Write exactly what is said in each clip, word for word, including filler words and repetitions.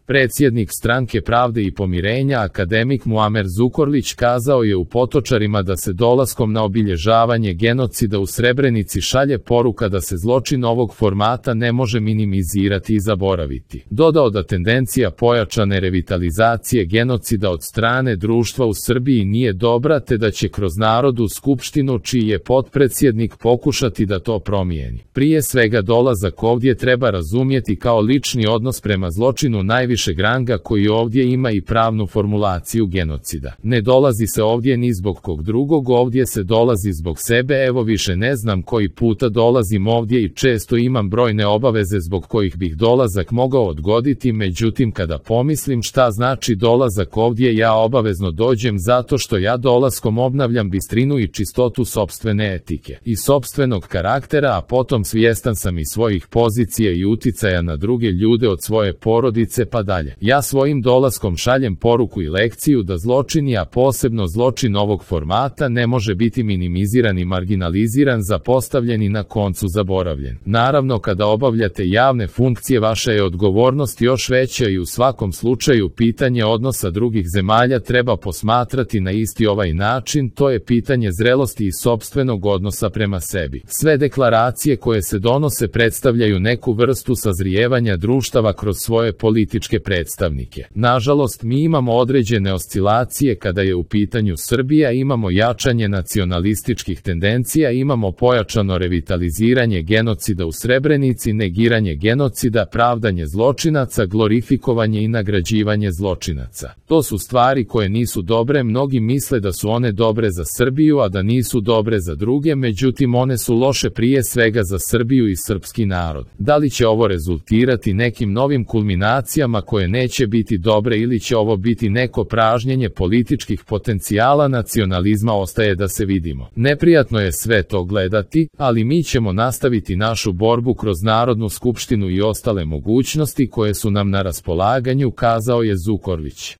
Predsjednik Stranke pravde i pomirenja akademik Muamer Zukorlić kazao je u Potočarima da se dolaskom na obilježavanje genocida u Srebrenici šalje poruka da se zločin ovog formata ne može minimizirati i zaboraviti. Dodao da tendencija pojačane revitalizacije genocida od strane društva u Srbiji nije dobra te da će kroz Narodnu skupštinu čiji je potpredsjednik pokušati da to promijeni. Prije svega dolazak ovdje treba razumjeti kao lični odnos prema zločinu najvišeg ranga koji ovdje ima i pravnu formulaciju genocida. Ne dolazi se ovdje ni zbog kog drugog, ovdje se dolazi zbog sebe. Evo više ne znam koji puta dolazim ovdje i često imam brojne obaveze zbog kojih bih dolazak mogao odgoditi, međutim kada pomislim šta znači dolazak ovdje, ja obavezno dođem zato što ja dolaskom obnavljam bistrinu i čistotu sopstvene etike i sopstvenog karaktera, a potom svjestan sam i svojih pozicija i uticaja na druge ljude od svoje porodice pa dalje. Ja svojim dolaskom šaljem poruku i lekciju da zločin, a posebno zločin ovog formata, ne može biti minimiziran i marginaliziran, zapostavljen i na koncu zaboravljen. Naravno, kada obavljate javne funkcije, vaša je odgovornost još veća i u svakom slučaju pitanje odnosa drugih zemalja treba posmatrati na isti ovaj način, to je pitanje zrelosti i sopstvenog odnosa prema sebi. Sve deklaracije koje se donose predstavljaju neku vrstu sazrijevanja društava kroz svoje političke predstavnike. Nažalost, mi imamo određene oscilacije kada je u pitanju Srbija, imamo jačanje nacionalističkih tendencija, imamo pojačano revitaliziranje genocida u Srebrenici, negiranje genocida, pravdanje zločinaca, glorifikovanje i nagrađivanje zločinaca. To su stvari koje nisu dobre, mnogi misle da su one dobre za Srbiju, a da nisu dobre za druge, međutim one su loše prije svega za Srbiju i srpski narod. Da li će ovo rezultirati nekim novim kulminacijama koje neće biti dobre ili će ovo biti neko pražnjenje političkih potencijala nacionalizma, ostaje da se vidimo. Neprijatno je sve to gledati, ali mi ćemo nastaviti našu borbu kroz Narodnu skupštinu i ostale mogućnosti koje su nam na raspolaganju, kazao je Zukorlić.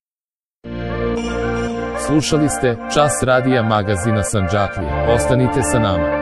Slušali ste Čas radija magazina Sandžaklija. Ostanite sa nama.